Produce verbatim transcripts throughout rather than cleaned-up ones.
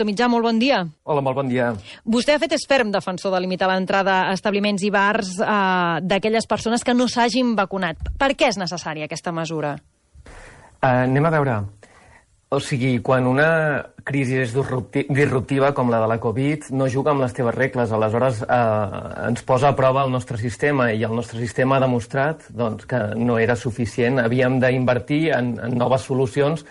Mitjà, molt bon dia. Hola, molt bon dia. Vostè ha fet és ferm defensor de limitar l'entrada a establiments i bars eh, d'aquelles persones que no s'hagin vacunat. Per què és necessària aquesta mesura? Uh, anem a veure. O sigui, quan una crisi és disruptiva com la de la Covid, no juga amb les teves regles. Aleshores, eh, ens posa a prova el nostre sistema i el nostre sistema ha demostrat doncs, que no era suficient. Havíem d'invertir en, en noves solucions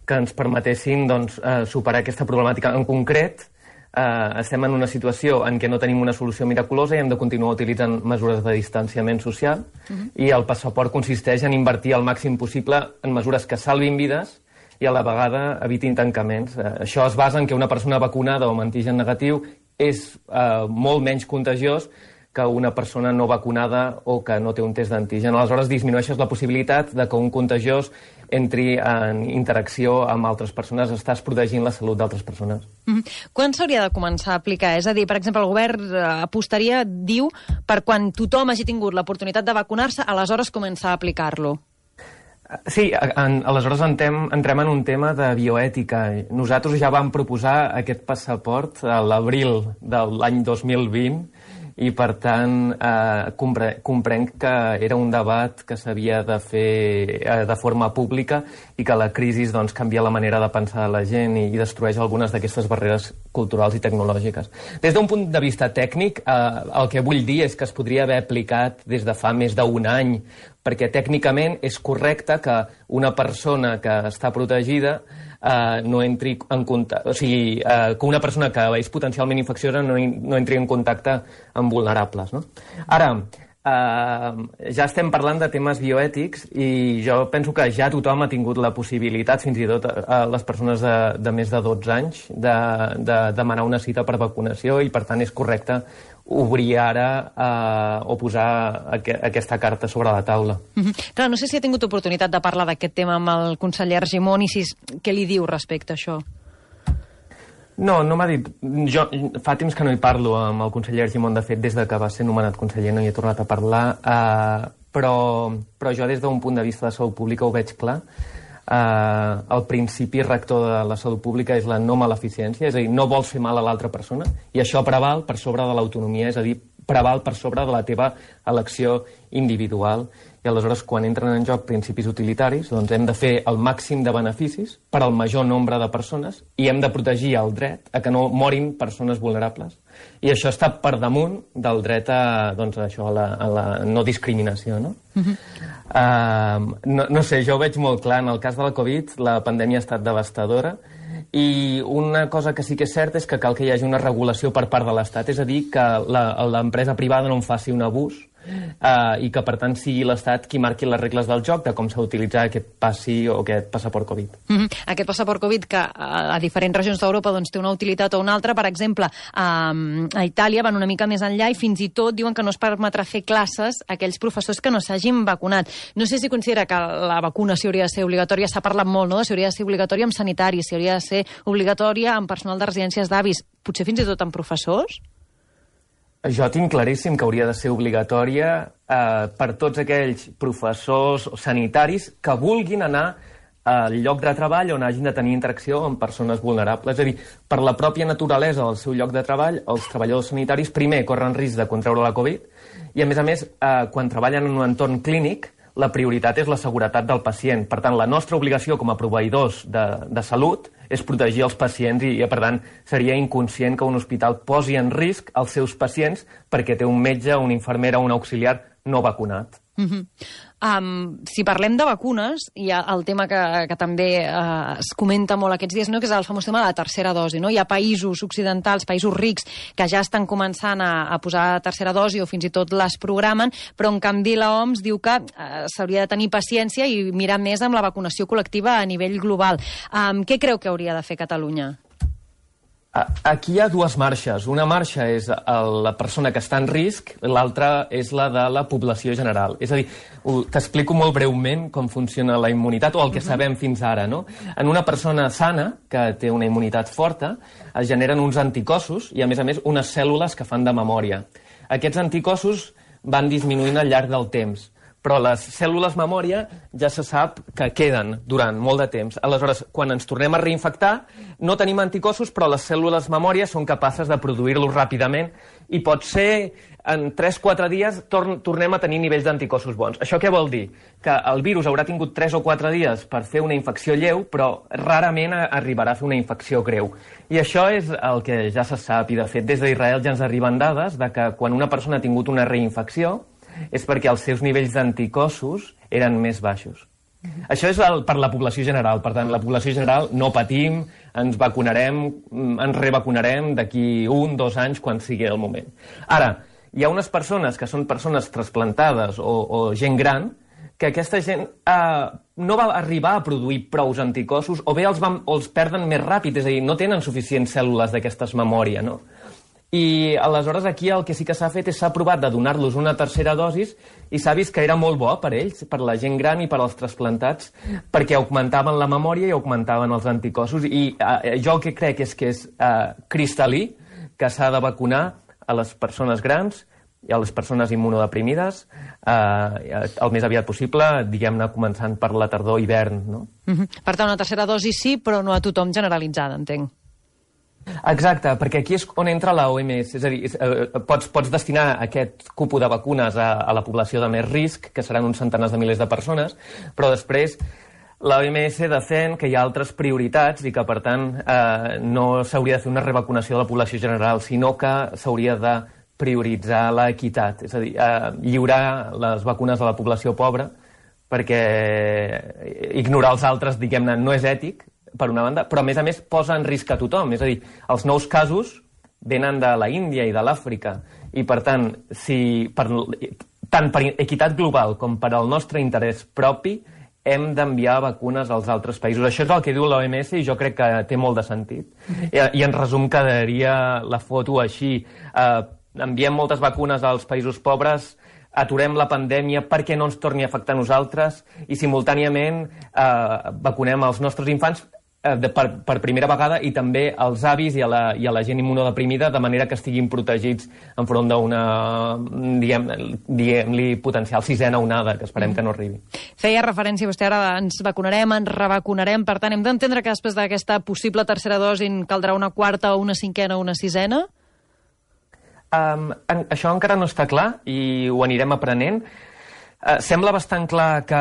que ens permetessin doncs, eh, superar aquesta problemàtica. En concret, eh, estem en una situació en què no tenim una solució miraculosa i hem de continuar utilitzant mesures de distanciament social uh-huh. i el passaport consisteix en invertir el màxim possible en mesures que salvin vides i a la vegada evitin tancaments. Eh, això es basa en que una persona vacunada o amb antigen negatiu és eh, molt menys contagiós que una persona no vacunada o que no té un test d'antigen. Aleshores, disminueixes la possibilitat de que un contagiós entri en interacció amb altres persones, estàs protegint la salut d'altres persones. Mm-hmm. Quan s'hauria de començar a aplicar? És a dir, per exemple, el govern apostaria, diu, per quan tothom hagi tingut l'oportunitat de vacunar-se, aleshores començar a aplicar-lo. Sí, en, aleshores entrem, entrem en un tema de bioètica. Nosaltres ja vam proposar aquest passaport a l'abril de l'any dos mil vint i, per tant, eh, compre, comprenc que era un debat que s'havia de fer eh, de forma pública i que la crisi doncs, canvia la manera de pensar de la gent i, i destrueix algunes d'aquestes barreres culturals i tecnològiques. Des d'un punt de vista tècnic, eh, el que vull dir és que es podria haver aplicat des de fa més d'un any, perquè tècnicament és correcte que una persona que està protegida eh, no entri en contacte, o sigui, eh, que una persona que és potencialment infecciosa no, no entri en contacte amb vulnerables, no? Ara, eh, ja estem parlant de temes bioètics i jo penso que ja tothom ha tingut la possibilitat, fins i tot a les persones de, de més de dotze anys, de, de demanar una cita per vacunació i, per tant, és correcte obrir ara eh, o posar aqu aquesta carta sobre la taula. Mm-hmm. Clar, no sé si ha tingut oportunitat de parlar d'aquest tema amb el conseller Argimon i si, què li diu respecte a això? No, no m'ha dit. Jo fa temps que no hi parlo amb el conseller Argimon, de fet, des de que va ser nomenat conseller no hi he tornat a parlar, eh, però, però jo des d'un punt de vista de salut pública ho veig clar. Uh, el principi rector de la salut pública és la no maleficència, és a dir, no vols fer mal a l'altra persona i això preval per sobre de l'autonomia, és a dir, preval per sobre de la teva elecció individual. I aleshores, quan entren en joc principis utilitaris, doncs hem de fer el màxim de beneficis per al major nombre de persones i hem de protegir el dret a que no morin persones vulnerables. I això està per damunt del dret a, doncs, a, això, a, la, a la no discriminació, no? Uh-huh. uh, no? No sé, jo ho veig molt clar. En el cas de la Covid, la pandèmia ha estat devastadora i una cosa que sí que és certa és que cal que hi hagi una regulació per part de l'Estat, és a dir, que l'empresa privada no en faci un abús Uh, i que, per tant, sigui l'Estat qui marqui les regles del joc de com s'ha d'utilitzar aquest passi o aquest passaport Covid. Mm-hmm. Aquest passaport Covid que a, a diferents regions d'Europa doncs, té una utilitat o una altra. Per exemple, a, a Itàlia van una mica més enllà i fins i tot diuen que no es permetrà fer classes a aquells professors que no s'hagin vacunat. No sé si considera que la vacunació hauria de ser obligatòria. S'ha parlat molt, no?, de si hauria de ser obligatòria amb sanitaris, si hauria de ser obligatòria amb personal de residències d'avis, potser fins i tot amb professors? Jo tinc claríssim que hauria de ser obligatòria eh, per tots aquells professors o sanitaris que vulguin anar al lloc de treball on hagin de tenir interacció amb persones vulnerables. És a dir, per la pròpia naturalesa del seu lloc de treball, els treballadors sanitaris primer corren risc de contraure la Covid i, a més a més, eh, quan treballen en un entorn clínic, la prioritat és la seguretat del pacient. Per tant, la nostra obligació com a proveïdors de, de salut és protegir els pacients i, per tant, seria inconscient que un hospital posi en risc els seus pacients perquè té un metge, una infermera o un auxiliar no vacunat. Mm-hmm. Um, si parlem de vacunes, hi ha el tema que, que també uh, es comenta molt aquests dies, no?, que és el famós tema de la tercera dosi. No? Hi ha països occidentals, països rics, que ja estan començant a, a posar tercera dosi o fins i tot les programen, però en canvi l'O M S diu que uh, s'hauria de tenir paciència i mirar més amb la vacunació col·lectiva a nivell global. Um, què creu que hauria de fer Catalunya? Aquí hi ha dues marxes. Una marxa és la persona que està en risc, l'altra és la de la població general. És a dir, t'explico molt breument com funciona la immunitat, o el que sabem fins ara, no? En una persona sana, que té una immunitat forta, es generen uns anticossos i, a més a més, unes cèl·lules que fan de memòria. Aquests anticossos van disminuint al llarg del temps, però les cèl·lules memòria ja se sap que queden durant molt de temps. Aleshores, quan ens tornem a reinfectar, no tenim anticossos, però les cèl·lules memòria són capaces de produir-los ràpidament i pot ser en tres o quatre dies tor tornem a tenir nivells d'anticossos bons. Això què vol dir? Que el virus haurà tingut tres o quatre dies per fer una infecció lleu, però rarament arribarà a fer una infecció greu. I això és el que ja se sap, i de fet des d'Israel ja ens arriben dades de que quan una persona ha tingut una reinfecció és perquè els seus nivells d'anticossos eren més baixos. Mm-hmm. Això és el, per la població general. Per tant, la població general no patim, ens vacunarem, ens revacunarem d'aquí un, dos anys, quan sigui el moment. Ara, hi ha unes persones que són persones trasplantades o, o gent gran que aquesta gent eh, no va arribar a produir prous anticossos o bé els, van, o els perden més ràpid, és a dir, no tenen suficients cèl·lules d'aquestes memòria, no? I aleshores aquí el que sí que s'ha fet és s'ha provat de donar-los una tercera dosis i s'ha vist que era molt bo per ells, per la gent gran i per als trasplantats, perquè augmentaven la memòria i augmentaven els anticossos. I eh, jo el que crec és que és eh, cristal·lí, que s'ha de vacunar a les persones grans i a les persones immunodeprimides eh, el més aviat possible, diguem-ne, començant per la tardor-hivern, no? Mm-hmm. Per tant, una tercera dosi sí, però no a tothom generalitzada, entenc. Exacte, perquè aquí és on entra la O M S, és a dir, eh, pots, pots destinar aquest cupó de vacunes a, a la població de més risc, que seran uns centenars de milers de persones, però després la O M S defèn que hi ha altres prioritats i que, per tant, eh, no s'hauria de fer una revacunació de la població general, sinó que s'hauria de prioritzar l'equitat, és a dir, eh, lliurar les vacunes a la població pobra, perquè ignorar els altres, diguem-ne, no és ètic, per una banda, però a més a més posa en risc a tothom. És a dir, els nous casos venen de la Índia i de l'Àfrica i per tant, si per, tant per equitat global com per al nostre interès propi hem d'enviar vacunes als altres països. Això és el que diu l'O M S i jo crec que té molt de sentit. I, i en resum quedaria la foto així. Eh, enviem moltes vacunes als països pobres, aturem la pandèmia perquè no ens torni a afectar a nosaltres i simultàniament eh, vacunem els nostres infants De, per, per primera vegada i també als avis i a la, i a la gent immunodeprimida de manera que estiguin protegits enfront d'una, diguem-li, diguem potencial sisena onada, que esperem que no arribi. Feia referència vostè ara, ens vacunarem, ens revacunarem, per tant hem d'entendre que després d'aquesta possible tercera dosi caldrà una quarta o una cinquena o una sisena? Um, en, això encara no està clar i ho anirem aprenent. Uh, sembla bastant clar que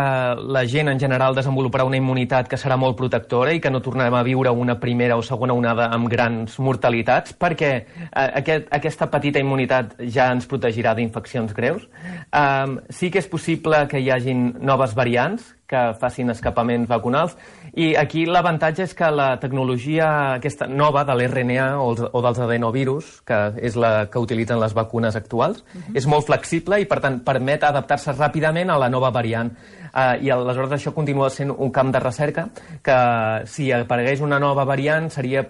la gent en general desenvoluparà una immunitat que serà molt protectora i que no tornarem a viure una primera o segona onada amb grans mortalitats perquè uh, aquest, aquesta petita immunitat ja ens protegirà d'infeccions greus. Um, sí que és possible que hi hagin noves variants que facin escapaments vacunals i aquí l'avantatge és que la tecnologia aquesta nova de l'R N A o, els, o dels adenovirus, que és la que utilitzen les vacunes actuals, uh-huh. és molt flexible i per tant permet adaptar-se ràpidament a la nova variant. Uh, I aleshores això continua sent un camp de recerca que si aparegués una nova variant seria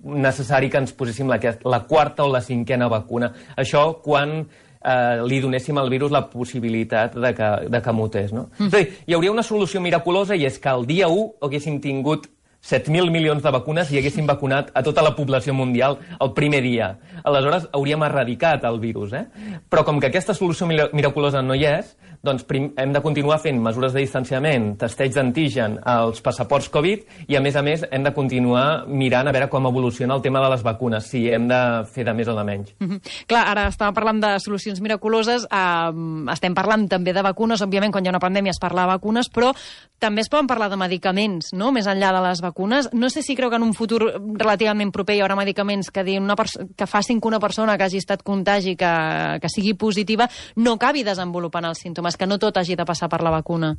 necessari que ens poséssim la, la quarta o la cinquena vacuna. Això quan Uh, li donéssim al virus la possibilitat de que, de que mutés, no? Mm. És a dir, hi hauria una solució miraculosa i és que el dia u haguéssim tingut set mil milions de vacunes i haguéssim vacunat a tota la població mundial el primer dia. Aleshores hauríem erradicat el virus, eh? Però com que aquesta solució miraculosa no hi és, doncs hem de continuar fent mesures de distanciament, testeig d'antigen als passaports Covid i, a més a més, hem de continuar mirant a veure com evoluciona el tema de les vacunes, si hem de fer de més o de menys. Mm-hmm. Clar, ara estàvem parlant de solucions miraculoses, eh, estem parlant també de vacunes, òbviament quan hi ha una pandèmia es parla de vacunes, però també es poden parlar de medicaments, no?, més enllà de les vacunes. No sé si creu que en un futur relativament proper hi haurà medicaments que, una que facin que una persona que hagi estat contagi, que, que sigui positiva, no acabi desenvolupant els símptomes, que no tot hagi de passar per la vacuna.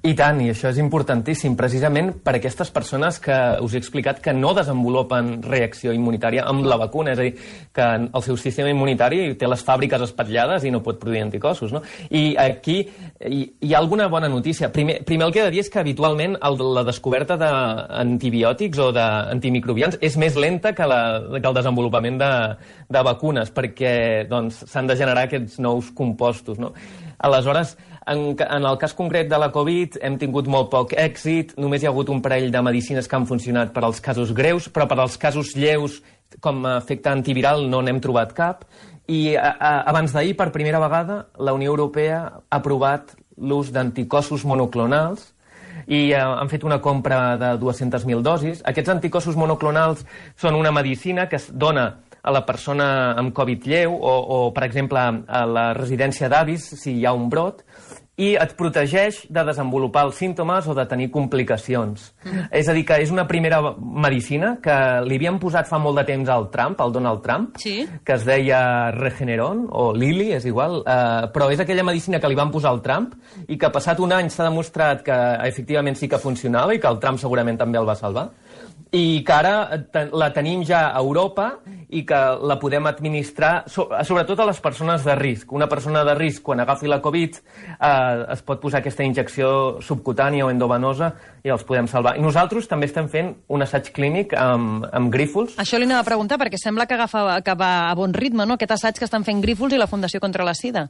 I tant, i això és importantíssim, precisament per aquestes persones que us he explicat que no desenvolupen reacció immunitària amb la vacuna, és a dir, que el seu sistema immunitari té les fàbriques espatllades i no pot produir anticossos, no? I aquí hi, hi ha alguna bona notícia. Primer, primer el que he de dir és que habitualment el, la descoberta d'antibiòtics o d'antimicrobians és més lenta que, la, que el desenvolupament de, de vacunes, perquè doncs, s'han de generar aquests nous compostos, no? Aleshores, en, en el cas concret de la Covid hem tingut molt poc èxit, només hi ha hagut un parell de medicines que han funcionat per als casos greus, però per als casos lleus com a efecte antiviral no n'hem trobat cap. I a, a, abans d'ahir, per primera vegada, la Unió Europea ha aprovat l'ús d'anticossos monoclonals i eh, han fet una compra de dues-centes mil dosis. Aquests anticossos monoclonals són una medicina que es dona a la persona amb Covid lleu o, o per exemple, a la residència d'avis, si hi ha un brot, i et protegeix de desenvolupar els símptomes o de tenir complicacions. Mm. És a dir, que és una primera medicina que li havien posat fa molt de temps al Trump, al Donald Trump, sí. que es deia Regeneron, o Lilly, és igual, eh, però és aquella medicina que li van posar al Trump i que passat un any s'ha demostrat que efectivament sí que funcionava i que el Trump segurament també el va salvar. I que ara la tenim ja a Europa i que la podem administrar sobretot a les persones de risc. Una persona de risc, quan agafi la Covid, eh, es pot posar aquesta injecció subcutània o endovenosa i els podem salvar. I nosaltres també estem fent un assaig clínic amb, amb Grífols. Això li anava a preguntar, perquè sembla que, agafa, que va a bon ritme, no?, aquest assaig que estan fent Grífols i la Fundació contra la Sida.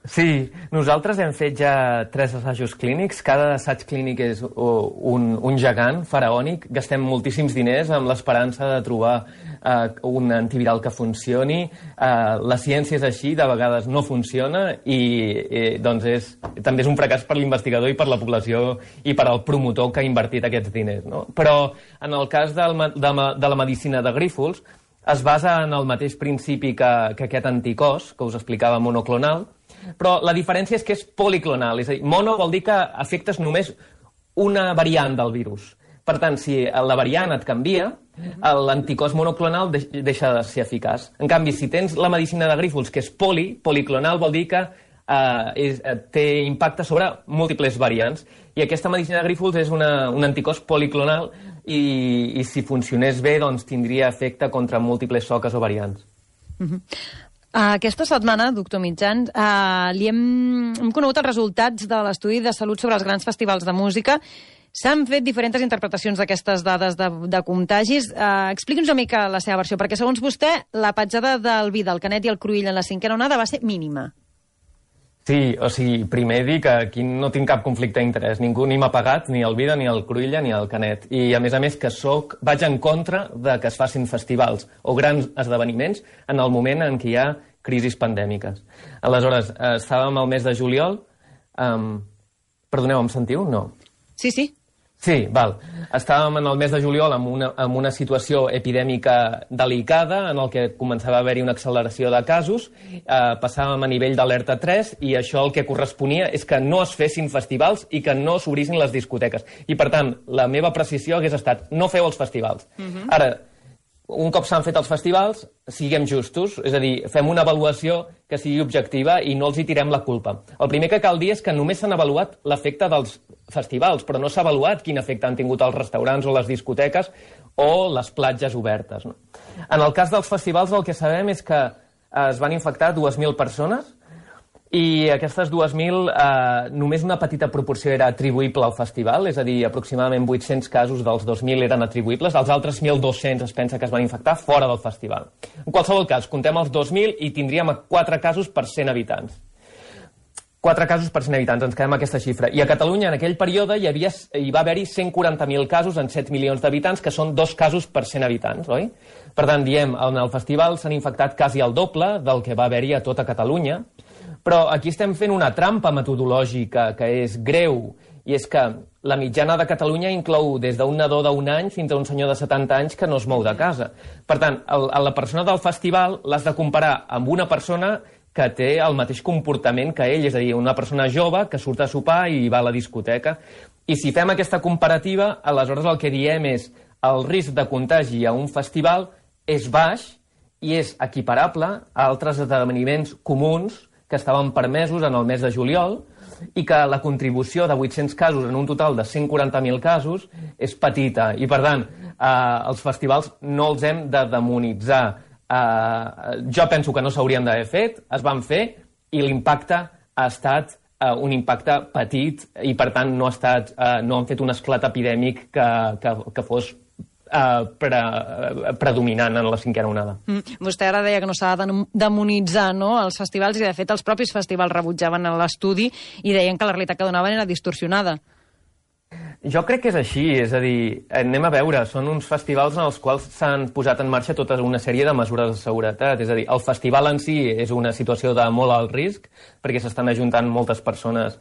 Sí, nosaltres hem fet ja tres assajos clínics. Cada assaig clínic és un, un gegant faraònic. Gastem moltíssims diners amb l'esperança de trobar uh, un antiviral que funcioni. Uh, la ciència és així, de vegades no funciona i, i doncs és, també és un fracàs per l'investigador i per la població i per al promotor que ha invertit aquests diners, no? Però en el cas del, de, de la medicina de Grífols es basa en el mateix principi que, que aquest anticòs, que us explicava, monoclonal, però la diferència és que és policlonal, és a dir, mono vol dir que afectes només una variant del virus. Per tant, si la variant et canvia, l'anticòs monoclonal deixa de ser eficaç. En canvi, si tens la medicina de Grífols, que és poli, policlonal, vol dir que eh, és, té impacte sobre múltiples variants. I aquesta medicina de Grífols és una, un anticòs policlonal i, i si funcionés bé, doncs tindria efecte contra múltiples soques o variants. Mhm. Uh, aquesta setmana, doctor Mitjans, uh, li hem, hem conegut els resultats de l'estudi de salut sobre els grans festivals de música. S'han fet diferents interpretacions d'aquestes dades de, de contagis. Uh, Expliqui'ns una mica la seva versió, perquè segons vostè, la petjada del vi, del Canet i el Cruïlla en la cinquena onada va ser mínima. Sí, o sigui, primer dir que aquí no tinc cap conflicte d'interès. Ningú ni m'ha pagat, ni el Vida, ni el Cruïlla, ni el Canet. I, a més a més, que soc, vaig en contra de que es facin festivals o grans esdeveniments en el moment en què hi ha crisis pandèmiques. Aleshores, eh, estàvem al mes de juliol... Um, perdoneu, em sentiu? No. Sí, sí. Sí, val. Estàvem en el mes de juliol amb una, amb una situació epidèmica delicada en el que començava a haver-hi una acceleració de casos, eh, passàvem a nivell d'alerta tres i això el que corresponia és que no es fessin festivals i que no s'obrissin les discoteques. I, per tant, la meva precisió hagués estat no feu els festivals. Uh-huh. Ara, un cop s'han fet els festivals, siguem justos, és a dir, fem una avaluació que sigui objectiva i no els hi tirem la culpa. El primer que cal dir és que només s'han avaluat l'efecte dels festivals, però no s'ha avaluat quin efecte han tingut els restaurants o les discoteques o les platges obertes, no? En el cas dels festivals el que sabem és que es van infectar dues mil persones i aquestes dues mil, eh, només una petita proporció era atribuïble al festival, és a dir, aproximadament vuit-cents casos dels dos mil eren atribuïbles, els altres mil dos-cents es pensa que es van infectar fora del festival. En qualsevol cas, contem els dos mil i tindríem quatre casos per cent habitants. quatre casos per cent habitants, ens quedem aquesta xifra. I a Catalunya, en aquell període, hi, havia, hi va haver-hi cent quaranta mil casos en set milions d'habitants, que són dos casos per cent habitants, oi? Per tant, diem, en el festival s'han infectat quasi el doble del que va haver-hi a tota Catalunya, però aquí estem fent una trampa metodològica que és greu, i és que la mitjana de Catalunya inclou des d'un nadó d'un any fins a un senyor de setanta anys que no es mou de casa. Per tant, el, la persona del festival l'has de comparar amb una persona que té el mateix comportament que ell, és a dir, una persona jove que surt a sopar i va a la discoteca. I si fem aquesta comparativa, aleshores el que diem és el risc de contagi a un festival és baix i és equiparable a altres esdeveniments comuns que estaven permesos en el mes de juliol i que la contribució de vuit-cents casos en un total de cent quaranta mil casos és petita. I, per tant, eh, els festivals no els hem de demonitzar. Eh, jo penso que no s'haurien d'haver fet, es van fer, i l'impacte ha estat eh, un impacte petit i, per tant, no, ha estat, eh, no han fet un esclat epidèmic que, que, que fos Uh, pre, uh, predominant en la cinquena onada. Mm. Vostè ara deia que no s'ha de demonitzar, no?, els festivals, i de fet els propis festivals rebutjaven l'estudi i deien que la realitat que donaven era distorsionada. Jo crec que és així, és a dir, anem a veure, són uns festivals en els quals s'han posat en marxa tota una sèrie de mesures de seguretat, és a dir, el festival en si és una situació de molt alt risc, perquè s'estan ajuntant moltes persones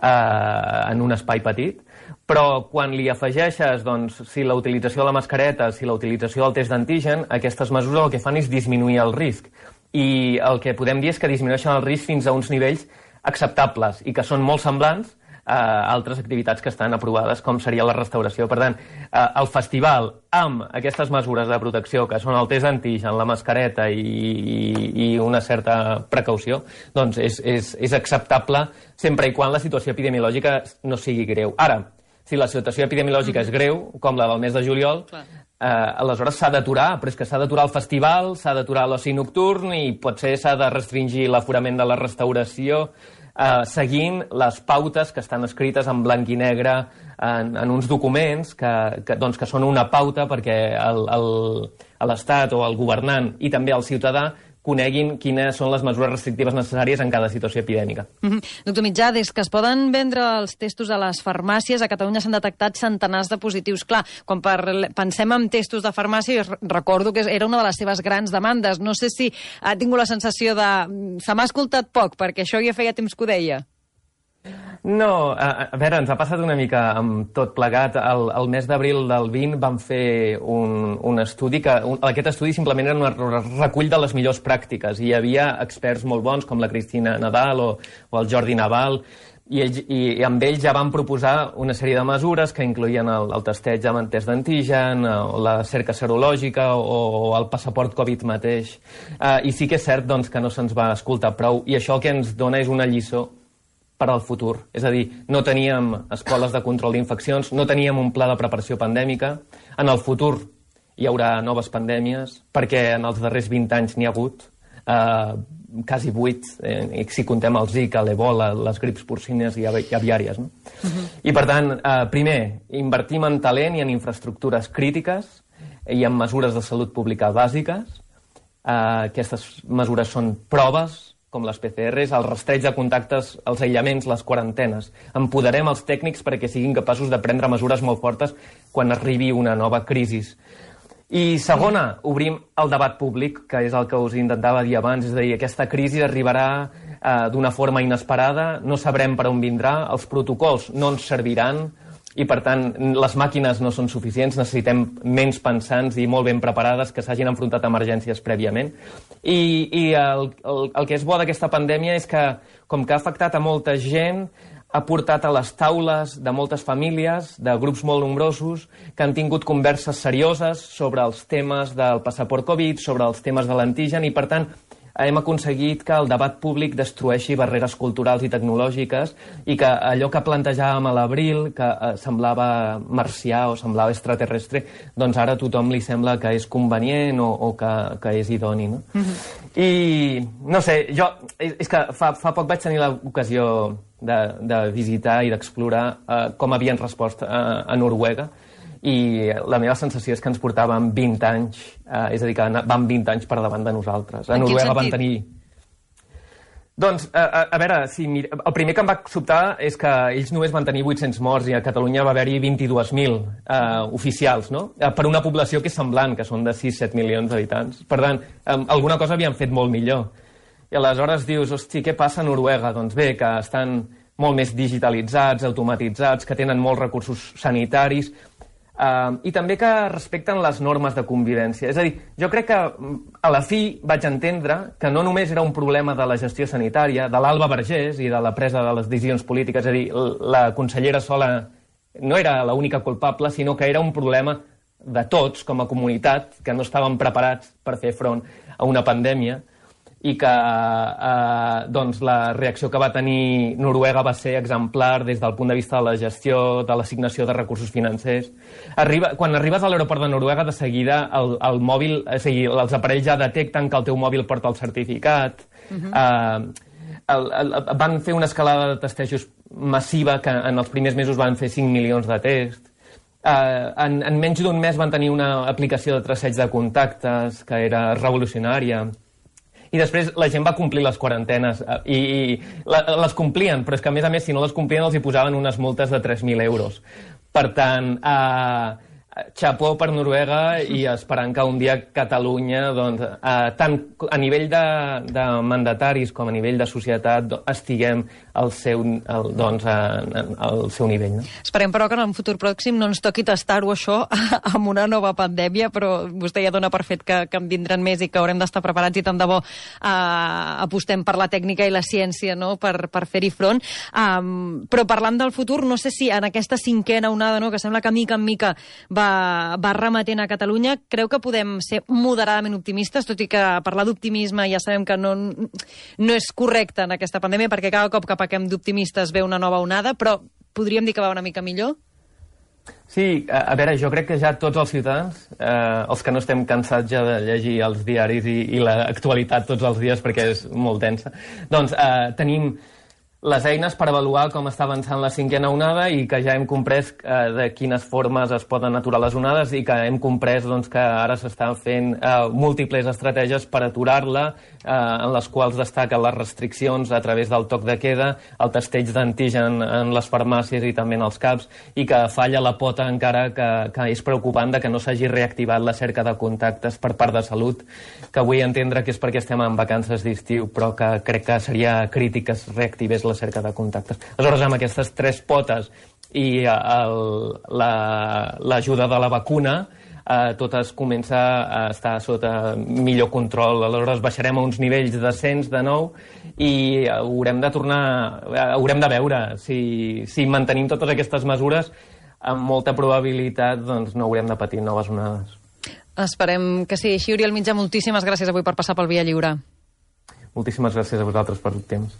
eh, en un espai petit, però quan li afegeixes, doncs, si la utilització de la mascareta, si la utilització del test d'antigen, aquestes mesures el que fan és disminuir el risc. I el que podem dir és que disminueixen el risc fins a uns nivells acceptables i que són molt semblants a altres activitats que estan aprovades, com seria la restauració. Per tant, el festival, amb aquestes mesures de protecció, que són el test d'antigen, la mascareta i, i, i una certa precaució, doncs és, és, és acceptable sempre i quan la situació epidemiològica no sigui greu. Ara, si la situació epidemiològica és greu, com la del mes de juliol, eh, aleshores s'ha d'aturar, però és que s'ha d'aturar el festival, s'ha d'aturar l'oci nocturn i potser s'ha de restringir l'aforament de la restauració, Uh, seguint les pautes que estan escrites en blanc i negre en, en uns documents que, que, doncs, que són una pauta perquè l'Estat o el governant i també el ciutadà coneguin quines són les mesures restrictives necessàries en cada situació epidèmica. Mm-hmm. Doctor Mitjà, des que es poden vendre els testos a les farmàcies, a Catalunya s'han detectat centenars de positius. Clar, quan per, pensem en testos de farmàcia, jo recordo que era una de les seves grans demandes. No sé si ha tingut la sensació de... Se m'ha escoltat poc, perquè això ja feia temps que ho deia. No, a, a veure, ens ha passat una mica amb tot plegat. El, el mes d'abril del vint vam fer un, un estudi, que un, aquest estudi simplement era un recull de les millors pràctiques, i hi havia experts molt bons, com la Cristina Nadal o, o el Jordi Naval, i, ells, i, i amb ells ja vam proposar una sèrie de mesures que incloïen el, el testeig amb el test d'antigen, la cerca serològica o, o el passaport Covid mateix. Uh, I sí que és cert, doncs, que no se'ns va escoltar prou, i això el que ens dona és una lliçó per al futur. És a dir, no teníem escoles de control d'infeccions, no teníem un pla de preparació pandèmica. En el futur hi haurà noves pandèmies, perquè en els darrers vint anys n'hi ha hagut, eh, quasi vuit, eh, si contem el Zika, l'Ebola, les grips porcines i aviàries. No? Uh-huh. I per tant, eh, primer, invertim en talent i en infraestructures crítiques i en mesures de salut pública bàsiques. Eh, aquestes mesures són proves, com les P C Rs, el rastreig de contactes, els aïllaments, les quarantenes. Empoderem els tècnics perquè siguin capaços de prendre mesures molt fortes quan arribi una nova crisi. I segona, obrim el debat públic, que és el que us intentava dir abans, és a dir, aquesta crisi arribarà eh, d'una forma inesperada, no sabrem per on vindrà, els protocols no ens serviran, i per tant les màquines no són suficients, necessitem ments pensants i molt ben preparades que s'hagin enfrontat a emergències prèviament. I, i el, el, el que és bo d'aquesta pandèmia és que, com que ha afectat a molta gent, ha portat a les taules de moltes famílies, de grups molt nombrosos, que han tingut converses serioses sobre els temes del passaport Covid, sobre els temes de l'antigen, i per tant hem aconseguit que el debat públic destrueixi barreres culturals i tecnològiques i que allò que plantejàvem a l'abril, que eh, semblava marcià o semblava extraterrestre, doncs ara a tothom li sembla que és convenient o, o que, que és idoni. No? Mm-hmm. I, no sé, jo... És que fa, fa poc vaig tenir l'ocasió de, de visitar i d'explorar eh, com havien respost a, a Noruega, i la meva sensació és que ens portàvem vint anys, eh, és a dir, que vam vint anys per davant de nosaltres. A Noruega van tenir... Doncs, a, a, a veure, si mira... el primer que em va sobtar és que ells només van tenir vuit-cents morts i a Catalunya va haver-hi vint-i-dos mil eh, oficials, no? Eh, per una població que és semblant, que són de sis-set milions d'habitants. Per tant, eh, alguna cosa havien fet molt millor. I aleshores dius, hosti, què passa a Noruega? Doncs bé, que estan molt més digitalitzats, automatitzats, que tenen molts recursos sanitaris, Uh, i també que respecten les normes de convivència. És a dir, jo crec que a la fi vaig entendre que no només era un problema de la gestió sanitària, de l'Alba Vergés i de la presa de les decisions polítiques, és a dir, la consellera Sola no era l'única culpable, sinó que era un problema de tots, com a comunitat, que no estàvem preparats per fer front a una pandèmia, i que eh, doncs la reacció que va tenir Noruega va ser exemplar des del punt de vista de la gestió, de l'assignació de recursos financers. Arriba, quan arribes a l'aeroport de Noruega, de seguida el, el mòbil, o sigui, els aparells ja detecten que el teu mòbil porta el certificat. Uh-huh. eh, el, el, van fer una escalada de testejos massiva, que en els primers mesos van fer cinc milions de tests. Eh, en, en menys d'un mes van tenir una aplicació de traceig de contactes que era revolucionària. I després la gent va complir les quarantenes i, i la, les complien, però és que a més a més si no les complien els hi posaven unes multes de tres mil euros. Per tant, eh, xapó per Noruega i esperant que un dia Catalunya, doncs, eh, tant a nivell de, de mandataris com a nivell de societat, do, estiguem al seu, el, doncs, a, al seu nivell. No? Esperem, però, que en un futur pròxim no ens toqui tastar-ho, això, amb una nova pandèmia, però vostè ja dona per fet que, que en vindran més i que haurem d'estar preparats i tant de bo eh, apostem per la tècnica i la ciència, no?, per, per fer-hi front. Um, però parlant del futur, no sé si en aquesta cinquena onada, no?, que sembla que mica en mica va va remetent a Catalunya, creu que podem ser moderadament optimistes, tot i que parlar d'optimisme ja sabem que no, no és correcte en aquesta pandèmia, perquè cada cop que pequem d'optimistes ve una nova onada, però podríem dir que va una mica millor? Sí, a, a veure, jo crec que ja tots els ciutadans, eh, els que no estem cansats ja de llegir els diaris i, i l'actualitat tots els dies perquè és molt densa, doncs eh, tenim les eines per avaluar com està avançant la cinquena onada i que ja hem comprès eh, de quines formes es poden aturar les onades i que hem comprès doncs, que ara s'estan fent eh, múltiples estratègies per aturar-la, eh, en les quals destaquen les restriccions a través del toc de queda, el testeig d'antigen en les farmàcies i també en els CAPs, i que falla la pota encara que, que és preocupant de que no s'hagi reactivat la cerca de contactes per part de Salut, que vull entendre que és perquè estem en vacances d'estiu, però que crec que seria crític que es reactivés la cerca de contactes. Aleshores, amb aquestes tres potes i l'ajuda la, de la vacuna, eh, tot es comença a estar sota millor control. Aleshores, baixarem a uns nivells decents de nou i haurem de tornar, haurem de veure si, si mantenim totes aquestes mesures, amb molta probabilitat doncs, no haurem de patir noves onades. Esperem que sigui així. Oriol Mitjà, moltíssimes gràcies avui per passar pel Via Lliure. Moltíssimes gràcies a vosaltres per el temps.